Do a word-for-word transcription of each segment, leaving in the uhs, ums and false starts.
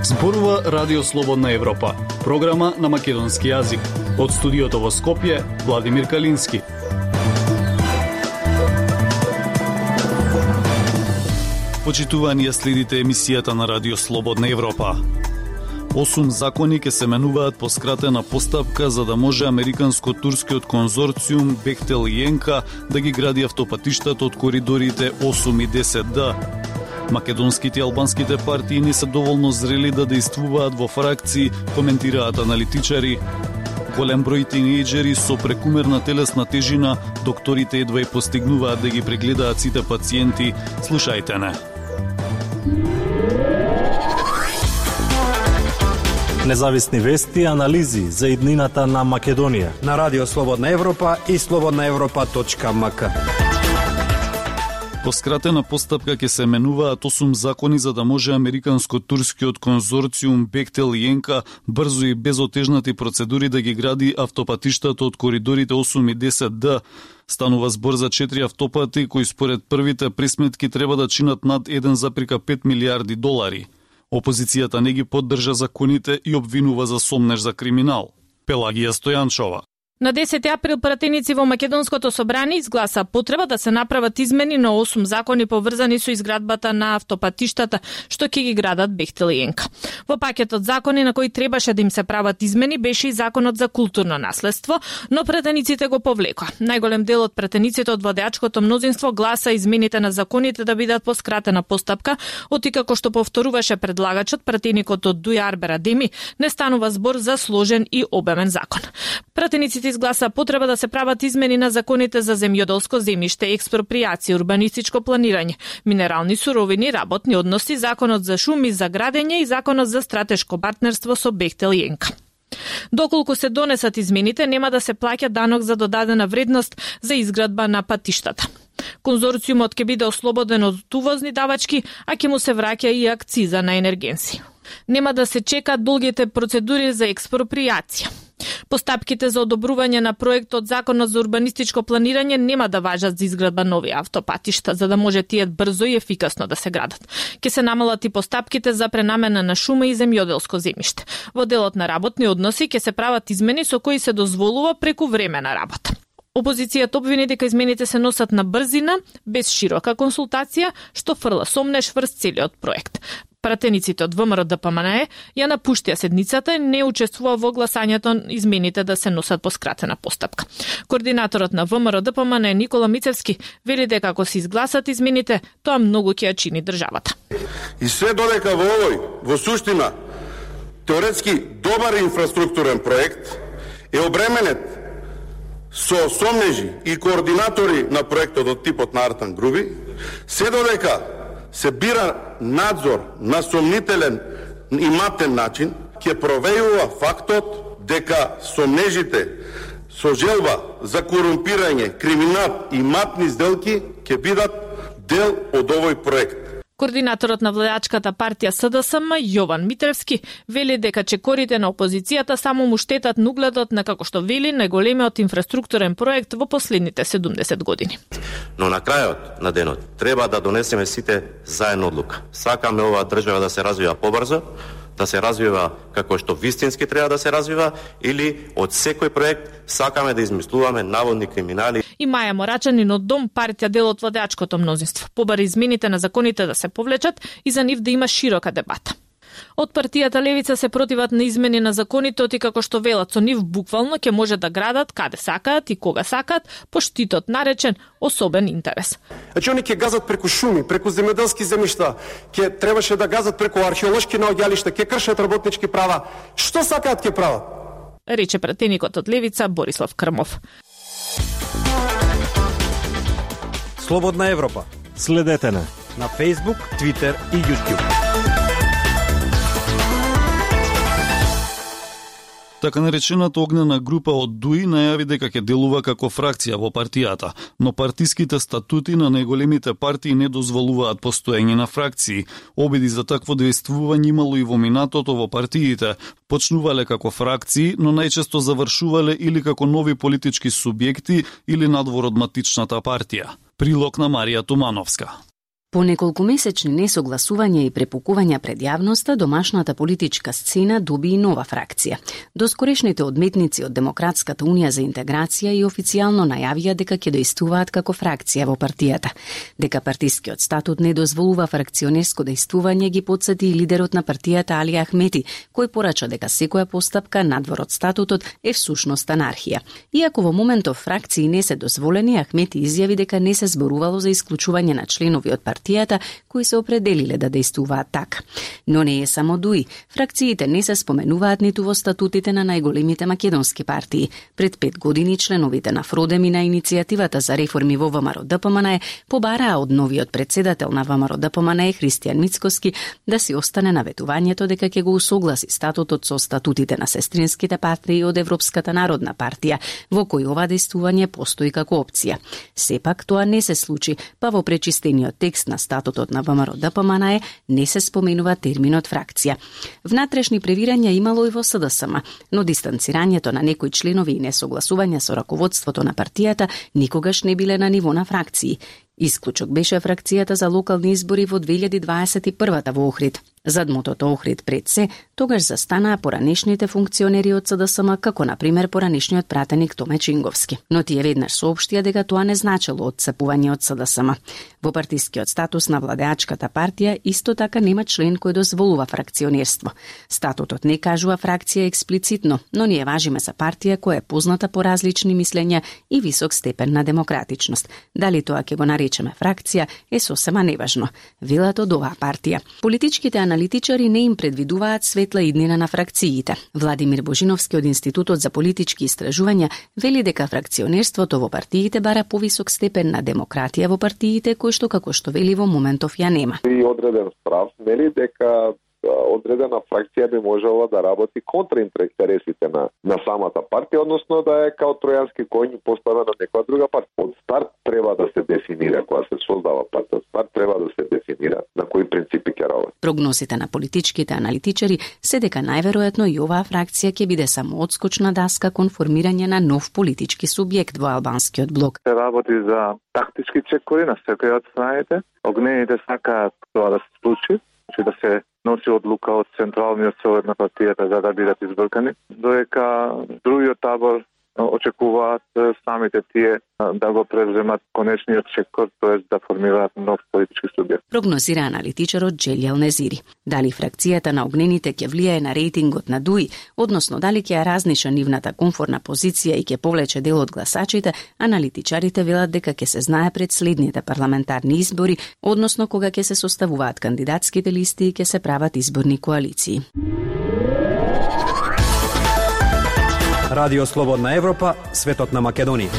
Зборува Радио Слободна Европа, програма на македонски јазик. Од студиото во Скопје, Владимир Калински. Почитувани, ја следите емисијата на Радио Слободна Европа. Осум закони ке се менуваат по скратена постапка за да може американско-турскиот конзорциум Бехтел и Енка да ги гради автопатиштата од коридорите осум и десет Д. Македонските и албанските партии не се доволно зрели да действуваат во фракции, коментираат аналитичари. Голем број тинејџери со прекумерна телесна тежина, докторите едва и постигнуваат да ги прегледаат сите пациенти. Слушајте не. Независни вести и анализи за иднината на Македонија на Радио Слободна Европа и слободна европа точка ем ка. По скратена постапка ќе се менуваат осум закони за да може американско-турскиот конзорциум Бехтел и Енка брзо и без отежнати процедури да ги гради автопатиштата од коридорите осум и десет Д. Станува збор за четири автопати кои според првите пресметки треба да чинат над еден запирка пет милијарди долари. Опозицијата не ги поддржа законите и обвинува за сомнеж за криминал. Пелагија Стојанчова. На десети април пратеници во Македонското собрание изгласа потреба да се направат измени на осум закони поврзани со изградбата на автопатиштата што ќе ги градат Бехтел и Енка. Во пакетот закони на кои требаше да им се прават измени беше и законот за културно наследство, но пратениците го повлекоа. Најголем дел од пратениците од владеачкото мнозинство гласа измените на законите да бидат по скратена постапка, оти како што повторуваше предлагачот, пратеникот од Дујарбер Адеми, не станува збор за сложен и обемен закон. Пратениците изгласа потреба да се прават измени на законите за земјоделско земјиште, експропријација, урбанистичко планирање, минерални суровини, работни односи, законот за шуми, за градење и законот за стратешко партнерство со Бехтел и Енка. Доколку се донесат измените, нема да се плаќа данок за додадена вредност за изградба на патиштата. Конзорциумот ќе биде ослободен од увозни давачки, а ќе му се враќа и акциза на енергенси. Нема да се чекаат долгите процедури за експропријација. Постапките за одобрување на проектот Законот за урбанистичко планирање нема да важат за изградба нови автопатишта, за да може тие брзо и ефикасно да се градат. Ке се намалат и постапките за пренамена на шума и земјоделско земјиште. Во делот на работни односи ке се прават измени со кои се дозволува преку време на работа. Опозицијата обвини дека измените се носат на брзина, без широка консултација, што фрла сомнеш врз целиот проект. Пратениците од ВМРО-ДПМНЕ ја напуштија седницата и не учествува во гласањето измените да се носат по скратена постапка. Координаторот на ВМРО-ДПМНЕ Никола Мицевски вели дека ако се изгласат измените, тоа многу ќе ја чини државата. И све додека во овој, во суштина, теоретски добар инфраструктурен проект е обременет со сомнежи и координатори на проектот од типот на Артан Груби, се додека се бира надзор на сомнителен и матен начин, ќе провејува фактот дека сомнежите со желба за корумпирање, криминал и матни сделки ќе бидат дел од овој проект. Координаторот на владеачката партија СДСМ Јован Митревски вели дека чекорите на опозицијата само му штетат на угледот на, како што вели, најголемиот инфраструктурен проект во последните седумдесет години. Но на крајот на денот треба да донесеме сите заедно одлука. Сакаме оваа држава да се развива побрзо, да се развива како што вистински треба да се развива, или од секој проект сакаме да измислуваме наводни криминали. И Маја Морачанин од Дом партија дел од владеачкото мнозинство побари измените на законите да се повлечат и за нив да има широка дебата. Од партијата Левица се противат на измени на законите, оти како што велат со нив буквално ќе може да градат каде сакаат и кога сакаат по штитот наречен особен интерес. Значи они ќе газат преку шуми, преку земјоделски земјишта, ќе требаше да газат преку археолошки наоѓалишта, ќе кршат работнички права. Што сакаат ќе прават? Рече пратеникот од Левица Борислав Крмов. Слободна Европа. Следете на на Facebook, Twitter и YouTube. Така наречената огнена група од ДУИ најави дека ќе делува како фракција во партијата, но партиските статути на најголемите партии не дозволуваат постоење на фракции. Обиди за такво действување имало и во минатото во партиите. Почнувале како фракции, но најчесто завршувале или како нови политички субјекти или надвор од матичната партија. Прилог на Марија Тумановска. По неколку месечни несогласувања и препукувања пред јавноста, домашната политичка сцена доби и нова фракција. Доскорешните одметници од Демократската унија за интеграција и официјално најавија дека ќе действуваат како фракција во партијата. Дека партискиот статут не дозволува фракционерско действување ги потсети и лидерот на партијата Али Ахмети, кој порача дека секоја постапка надвор од статутот е всушност анархија. Иако во моментов фракции не се дозволени, Ахмети изјави дека не се зборувало за исклучување на членови од партијата партијата кои се определиле да действуваат така. Но не е само ДУИ. Фракциите не се споменуваат ниту во статутите на најголемите македонски партии. Пред пет години членовите на ФРОДЕМ и на иницијативата за реформи во ВМРО-ДПМНЕ побараа од новиот председател на ВМРО-ДПМНЕ Христијан Мицкоски да си остане на ветувањето дека ќе го усогласи статутот со статутите на сестринските партии од Европската народна партија, во кој ова действување постои како опција. Сепак тоа не се случи, па во пречистениот текст на статутот на ВМРО-ДПМНЕ не се споменува терминот фракција. Внатрешни превирања имало и во СДСМ, но дистанцирањето на некои членови и несогласување со раководството на партијата никогаш не биле на ниво на фракции. Исклучок беше фракцијата за локални избори во две илјади дваесет и прва во Охрид. Зад мотото Охрид пред се, тогаш застанаа поранешните функционери од СДСМ, како на пример поранешниот пратеник Томе Чинговски. Но тие веднаш соопштија дека тоа не значело одцепување од СДСМ. Во партискиот статус на владеачката партија исто така нема член кој дозволува фракционерство. Статутот не кажува фракција експлицитно, но ние важиме за партија која е позната по различни мислења и висок степен на демократичност. Дали тоа ќе го наречеме фракција е сосема неважно, велат од оваа партија. Политичките аналитичари не им предвидуваат светла иднина на фракциите. Владимир Божиновски од Институтот за политички истражувања вели дека фракционерството во партиите бара повисок степен на демократија во партиите, кој што како што вели во моментов ја нема. И одреден справ, нели, дека одредена фракција би можела да работи контра интересите на, на самата партија, односно да е као тројански коњ поставена на некоја друга партија. Од старт треба да се дефинира, кога се создава партија, од старт треба да се дефинира на кои принципи ќе работи. Прогнозите на политичките аналитичари се дека најверојатно и оваа фракција ќе биде само одскочна даска кон формирање на нов политички субјект во албанскиот блок. Се работи за тактички чекори на секоја од страните. Огнените сакаат тоа да се случи, че да се носи одлука од централниот совет на партијата за да бидат избркани, додека другиот табор очекуваат самите тие да го преземат конечниот чекор, тоест да формираат нов политички субјект. Прогнозира аналитичарот Джелјал Незири. Дали фракцијата на огнените ќе влијае на рейтингот на ДУИ, односно дали ќе ја разниша нивната комфорна позиција и ќе повлече дел од гласачите, аналитичарите велат дека ќе се знае пред следните парламентарни избори, односно кога ќе се составуваат кандидатските листи и ќе се прават изборни коалиции. Радио Слободна Европа, светот на Македонија.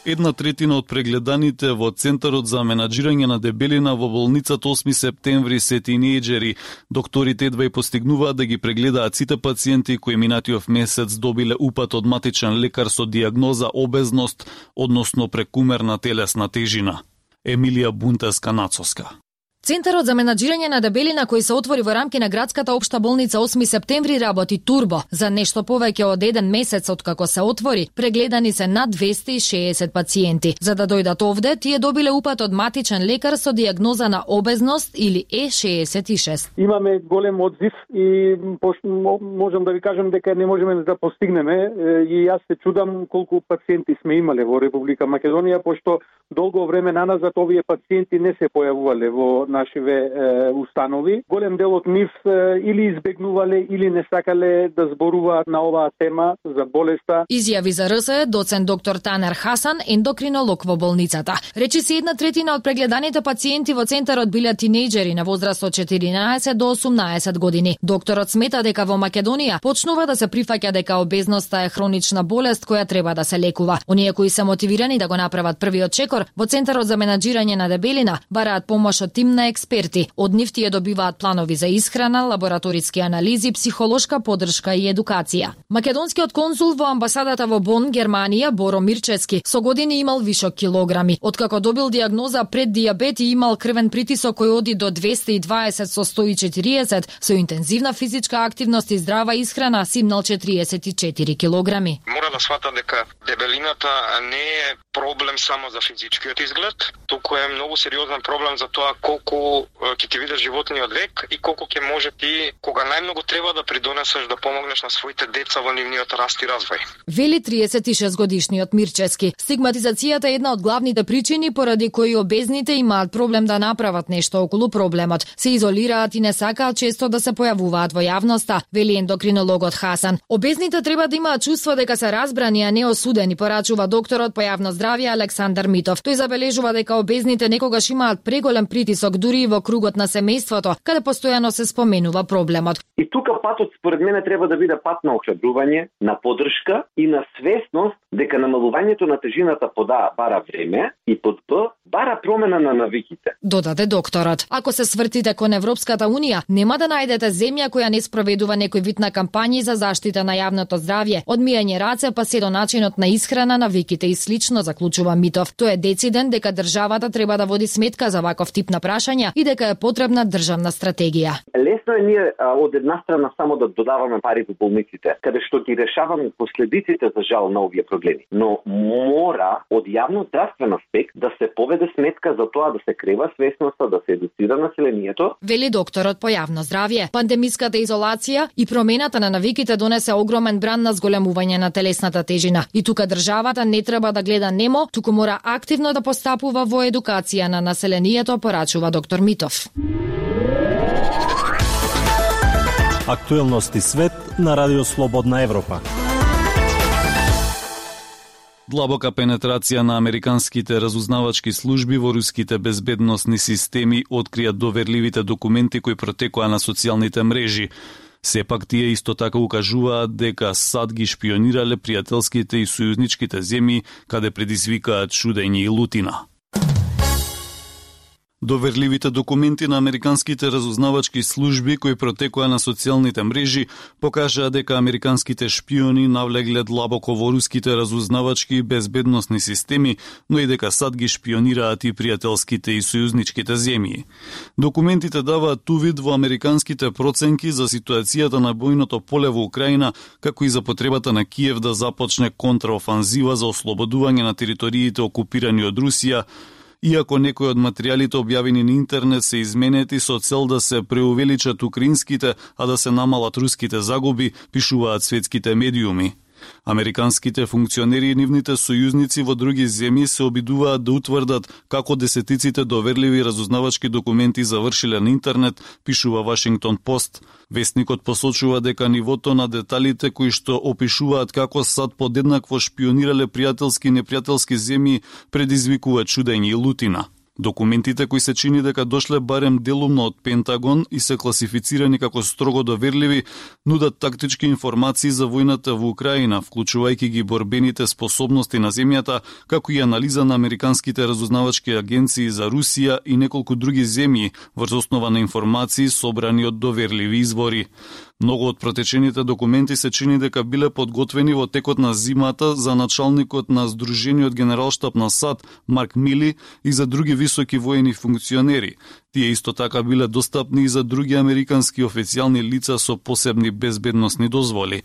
Една третина од прегледаните во Центарот за менаџирање на дебелина во болницата осми септември се тинејџери. Докторите едва и постигнуваат да ги прегледаат сите пациенти кои минатиот месец добиле упат од матичен лекар со диагноза обезност, односно прекумерна телесна тежина. Емилија Бунтеска-Нацоска. Центарот за менаџирање на дебелина кој се отвори во рамки на градската општа болница осми септември работи турбо. За нешто повеќе од еден месец од како се отвори, прегледани се над двесте и шеесет пациенти. За да дојдат овде, тие добиле упат од матичен лекар со диагноза на обезност или Е шеесет и шест. Имаме голем одзив и можам да ви кажам дека не можеме да постигнеме и јас се чудам колку пациенти сме имале во Република Македонија, пошто долго време наназад овие пациенти не се појавувале во нашиве е, установи. Голем дел од нив е, или избегнувале или не сакале да зборуваат на оваа тема за болеста. Изјави за РСЕ доцент доктор Танер Хасан, ендокринолог во болницата. Речи се една третина од прегледаните пациенти во центарот биле тинејџери на возраст од четиринаесет до осумнаесет години. Докторот смета дека во Македонија почнува да се прифаќа дека обезноста е хронична болест која треба да се лекува. Оние кои се мотивирани да го направат првиот чекор во Центарот за менаџирање на дебелина бараат помош од тим на на експерти. Од нив тие добиваат планови за исхрана, лабораториски анализи, психолошка поддршка и едукација. Македонскиот конзул во амбасадата во Бон, Германија, Боро Мирчевски, со години имал вишок килограми. Откако добил диагноза пред дијабет и имал крвен притисок кој оди до двесте и дваесет со сто и четириесет, со интензивна физичка активност и здрава исхрана симнал четириесет и четири килограми. Мора да свата дека дебелината не е проблем само за физичкиот изглед, туку е многу сериозен проблем за тоа колку ќе ти видиш животниот век и колку ќе може ти, кога најмногу треба да придонесеш да помогнеш на своите деца во нивниот раст и развој. Вели триесет и шест годишниот Мирчевски. Стигматизацијата е една од главните причини поради кои обезните имаат проблем да направат нешто околу проблемот. Се изолираат и не сакаат често да се појавуваат во јавноста, вели ендокринологот Хасан. Обезните треба да имаат чувство дека се разбрани, а не осудени, порачува докторот по јавно здравје Александар Митов. Тој забележува дека обезните некогаш имаат преголем притисок дури и во кругот на семејството, каде постојано се споменува проблемот. И тука патот според мене треба да биде пат на охрабрување, на поддршка и на свесност дека намалувањето на тежината под А бара време и под Б бара промена на навиките. Додаде докторот. Ако се свртите кон Европската унија, нема да најдете земја која не спроведува некој вид на кампањи за заштита на јавното здравје, од миење раце па се до начинот на исхрана, навиките и слично, заклучува Митов. Тој е дециден дека државата треба да води сметка за ваков тип на прашања и дека е потребна државна стратегија. Лесно е ние а, од една страна само да додаваме пари во болниците, каде што ги решаваме последиците за жал на овие проблеми. Но мора од јавно здравствен аспект да се поведе сметка за тоа да се крева свесноста, да се едуцира населението. Вели докторот по јавно здравје. Пандемиската изолација и промената на навиките донесе огромен бран на зголемување на телесната тежина. И тука државата не треба да гледа немо, туку мора активно да постапува во едукација на населението, порачува доктор Митов. Актуелности свет на Радио Слободна Европа. Длабока пенетрација на американските разузнавачки служби во руските безбедносни системи открија доверливите документи кои протекоа на социјалните мрежи. Сепак тие исто така укажуваат дека САД ги шпионирале пријателските и сојузничките земји каде предизвикаат чудење и лутина. Доверливите документи на американските разузнавачки служби кои протекоа на социјалните мрежи покажаа дека американските шпиони навлегле длабоко во руските разузнавачки и безбедносни системи, но и дека САД ги шпионираат и пријателските и сојузничките земји. Документите даваат увид во американските проценки за ситуацијата на бојното поле во Украина, како и за потребата на Киев да започне контраофанзива за ослободување на териториите окупирани од Русија, иако некои од материјалите објавени на интернет се изменети со цел да се преувеличат украинските, а да се намалат руските загуби, пишуваат светските медиуми. Американските функционери и нивните сојузници во други земји се обидуваат да утврдат како десетиците доверливи разузнавачки документи завршиле на интернет, пишува Вашингтон Пост. Весникот посочува дека нивото на деталите кои што опишуваат како САД подеднакво шпионирале пријателски и непријателски земји предизвикува чудење и лутина. Документите кои се чини дека дошле барем делумно од Пентагон и се класифицирани како строго доверливи, нудат тактички информации за војната во Украина, вклучувајќи ги борбените способности на земјата, како и анализа на американските разузнавачки агенции за Русија и неколку други земји, врз основа на информации собрани од доверливи извори. Многу од протечените документи се чини дека биле подготвени во текот на зимата за началникот на Сдружениот генералштаб на САД Марк Мили и за други високи воени функционери. Тие исто така биле достапни и за други американски официјални лица со посебни безбедносни дозволи.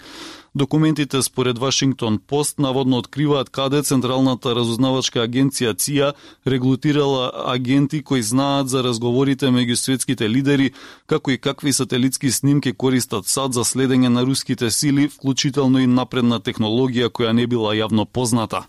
Документите според Вашингтон Пост наводно откриваат каде Централната разузнавачка агенција ЦИА регрутирала агенти кои знаат за разговорите меѓу светските лидери, како и какви сателитски снимки користат САД за следење на руските сили, вклучително и напредна технологија која не била јавно позната.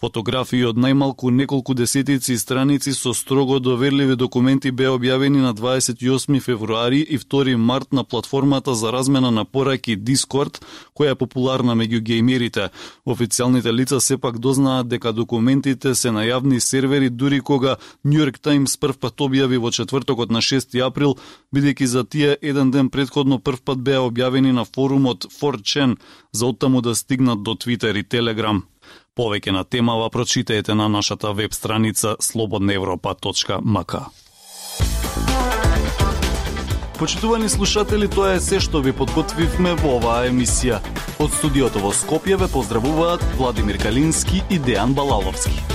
Фотографии од најмалку неколку десетици страници со строго доверливи документи беа објавени на дваесет и осми февруари и втори март на платформата за размена на пораки Discord, која е популарна меѓу геймерите. Официјалните лица сепак дознаат дека документите се на јавни сервери, дури кога New York Times првпат објави во четвртокот на шести април, бидејќи за тие еден ден претходно првпат беа објавени на форумот four chan, за оттаму да стигнат до Twitter и Telegram. Повеќе на темава прочитајте на нашата веб страница слободна европа точка м к. Почитувани слушатели, тоа е се што ви подготвивме во оваа емисија. Од студиото во Скопје ве поздравуваат Владимир Калински и Дејан Балаловски.